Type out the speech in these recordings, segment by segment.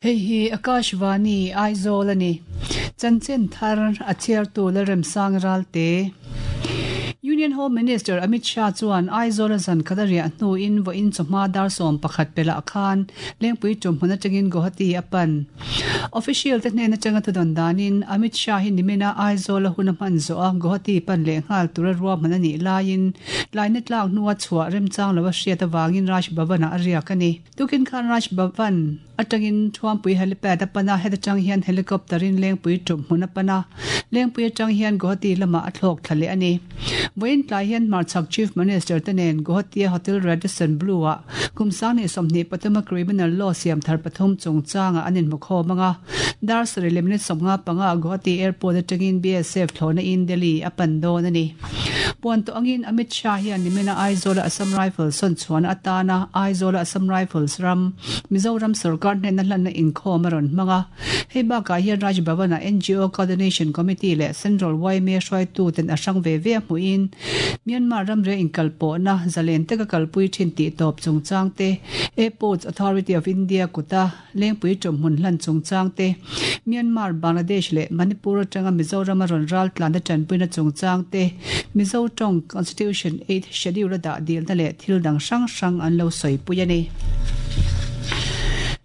Hei hi Akashvani, Aizawl a ni. Chanchin thar a chhiartu Lalremsang Ralte. Union Home Minister Amit Shah chuan Aizawl a zan khat a riah hnuin vawiin chawhma dar 11 pelah khan Lengpui tumhmun atangin Guwahati a pan. Official te hnen atanga thudawn danin Amit Shah hi nimina Aizawl a hun a hman zawh a Guwahati pan leh nghal tura ruahman a nih laiin tlaina tlak hnua chhuah remchang lo a hriat avangin Raj Bhavan-ah a riak a ni. Tukin khan Raj Bhavan atangin Thuampui Helipad a pan a, heta tang hian helicopter in Lengpui tum hmun a pan a, Lengpui atang hian Guwahati lamah a thlawk thla leh a ni. Vawiin tlai hian Hmarchhak Chief Minister te nen Guwahati a Hotel Radisson Blu ah kum 2023 a Criminal Law siam thar pathum chungchangah an inhmukhawm ang a, dar sarih leh minute 55 ah Guwahati Airport atangin BSF thlawhna in Delhi a pan dawn a ni. Puan tawh angin Amit Shah hian nimina Aizawl-a Assam Rifles sawn chhuahna atana Aizawl-a Assam Rifles ram Mizoram sorkar hnena hlanna inkhawm a rawn hmang a. Hei bakah hian Raj Bhavan-ah NGO Coordination Committee leh Central yma hruaituten a hrang ve ve a hmuhin Myanmar ramria inkalpawhna zalen taka kalpui thin tih tawp chungchang te, Airports Authority of India kuta Lengpui ṭawmhmun hlan chungchang te, Myanmar, Bangladesh leh Manipur aṭanga Mizorama rawn ral tlanna ṭanpuina chungchang te, Mizo ṭawng Constitution Eighth Schedule a dah dilna leh thil dang hrang hrang an lo sawipui a ni.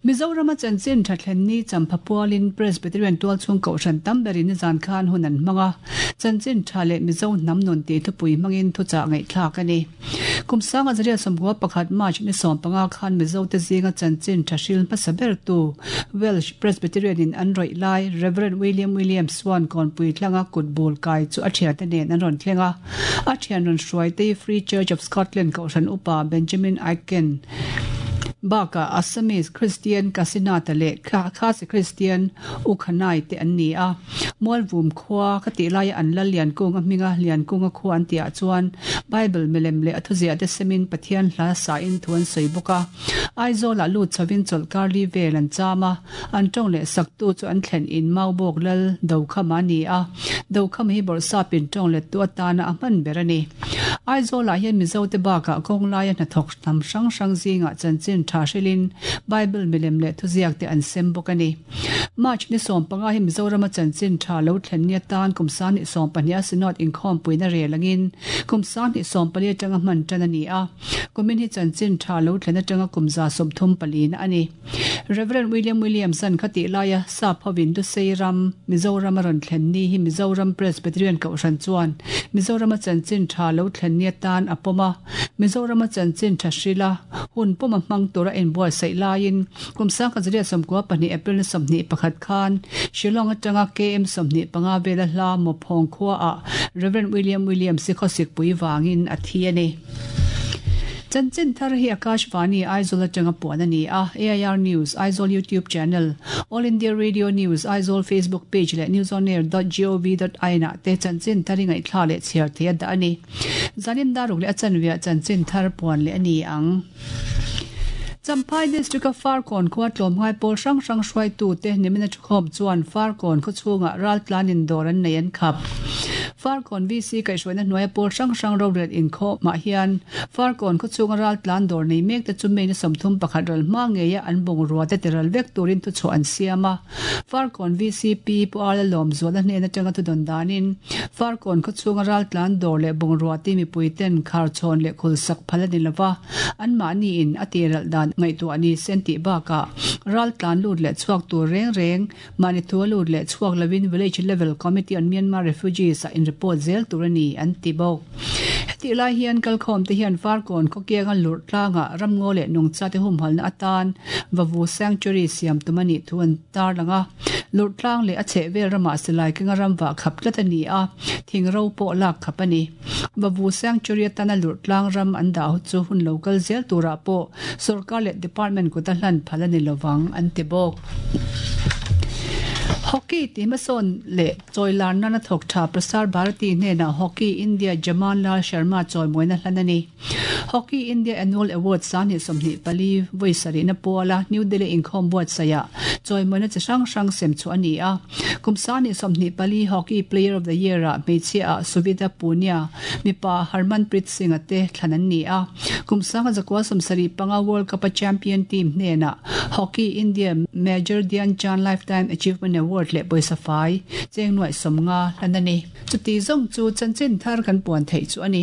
Mizorama chanchin ṭha thlen ni champha pualin Presbyterian tualchhung kohhran tam berin nizan khan hun an hmang a, chanchin ṭha leh Mizo hnam nun tih thupui hmangin thuchah ngaihthlak a ni. Kum sanga zariat 91 March ni 15 khan Mizo te zinga chanchin tha hril hmasa bertu Welsh Presbyterian in an rawih lai Rev William Williams chuan kawnpui tlanga kut bul kai chu a thiante nen an rawn thleng a. A thian rawn hruaite Free Church of Scotland kohhran upa Benjamin Aitken bakah Assamese Christian Kasinatha leh Khasi Christian Ukhanai te an ni a. Mualvum khua ka tih laia an lal Liankunga hminga Liankunga khua an tihah chuan Bible milem leh a thuziah te semin Pathian hla sain thu an sawi bawk a. Aizawlah lut chhovin chawlhkar li vel an cham a, an tawng leh saktu chu an thlen in Maubawk lal Dokhama a ni a, Dokhama hi Bawrhsapin tawng lettu atana a hman ber a ni. Aizawlah hian Mizote bakah kawnglaia hnathawk hnam hrang hrang zingah chanchin tha hrilhin Bible milem leh thuziak te an sem bawk a ni. March ni 15 hi Mizorama chanchin tha lo thlen ni atan kum 20 a Synod inkhawmpuina rel angin kum 20 40 atanga hman tan a ni a, kumin hi chanchin tha lo thlen atanga kum 34 na a ni. Rev. William Williams-a'n khatih laia sap hovin Lusei ram, Mizoram a rawn thlen ni hi Mizoram Presbyterian Kohhran chuan Mizorama chanchin tha lo thlen ni atan a pawm a, Mizorama chanchin tha hrila hun pawm a hmang tura inbuatsaih laiin Kum 1992 April ni 21 khan Shillong atanga KM 25 vela hla Mawphawng khuaah Rev William Williams hi khawsikpui vangin a thi a ni. Chanchin thar hi Akashvani Aizawl atanga puan a ni a, AIR News, Aizawl YouTube Channel, All India Radio News, Aizawl Facebook Page leh newsonair dot gov dot in ah te chanchin thar hi ngaihthla leh chhiar thei a dah a ni. Zanin daruk leh a chanveah chanchin thar puan leh a ni ang. Champhai District-a Farkawn khua tlawmngai pawl hrang hrang hruaitute nimina thukhawm chuan Farkawn khaw chhungah raltlan indawr an nei an khap. Farkawn VC kaihhruaina hnuaia pawl hrang hrang rorel inkhawmah hian Farkawn khaw chhunga raltlan dawr nei mekte chu May ni 31 ral hma ngeia an bungrua te tiral vek turin thuchhuah an siam a. Farkawn VCP Pu Arla Lawmzuala hnen atanga thudawn danin Farkawn khaw chhunga raltlan dawr leh bungrua te mipui ten kharchhawn leh khulsak phal a ni lova, anmahni in a tiralh dan ngaihtuah ni se an tih bakah raltlan lut leh chhuak tur reng reng mahni thu a lut leh chhuak lovin Village Level Committee on Myanmar Refugees ah in report zel tur a ni an ti bawk. Hetih lai hian kalkhawm te hian Farkawn khawkianga lurh tlangah ramngaw leh nungcha te humhalna atan Vavu Sanctuary siam tum a nih thu an tarlang a. Lurh tlang leh a chhehvel ramah silai kenga ram vah khap tlat a ni a, thing ro pawh lak khap a ni. Vavu Sanctuary atana lurh tlang ram an dah chu hun lo kal zel turah pawh sorkar leh department kuta hlan phal a ni lovang an ti bawk. Hockey tihhmasawn leh chawilar nana thawk tha Prasar Bharati hnenah Hockey India Jaman Lal Sharma chawimawina hlan a ni. Hockey India Annual Award 2024 vawi sarihna puala New Delhi inkhawm buatsaihah chawimawina chi hrang hrang sem chhuah a ni a. Kum 2024 Hockey Player of the Year-ah hmeichhia-ah Suvita Punia, mipa Harmanpreet Singh-a te thlan an ni a. Kum 1975 World Cup-a champion team hnenah Hockey India Major Dhyan Chand Lifetime Achievement Award leh pawisa fai cheng nuaih 50 hlan a ni. Chuti zawng chu chanchin thar kan puan theih chu a ni.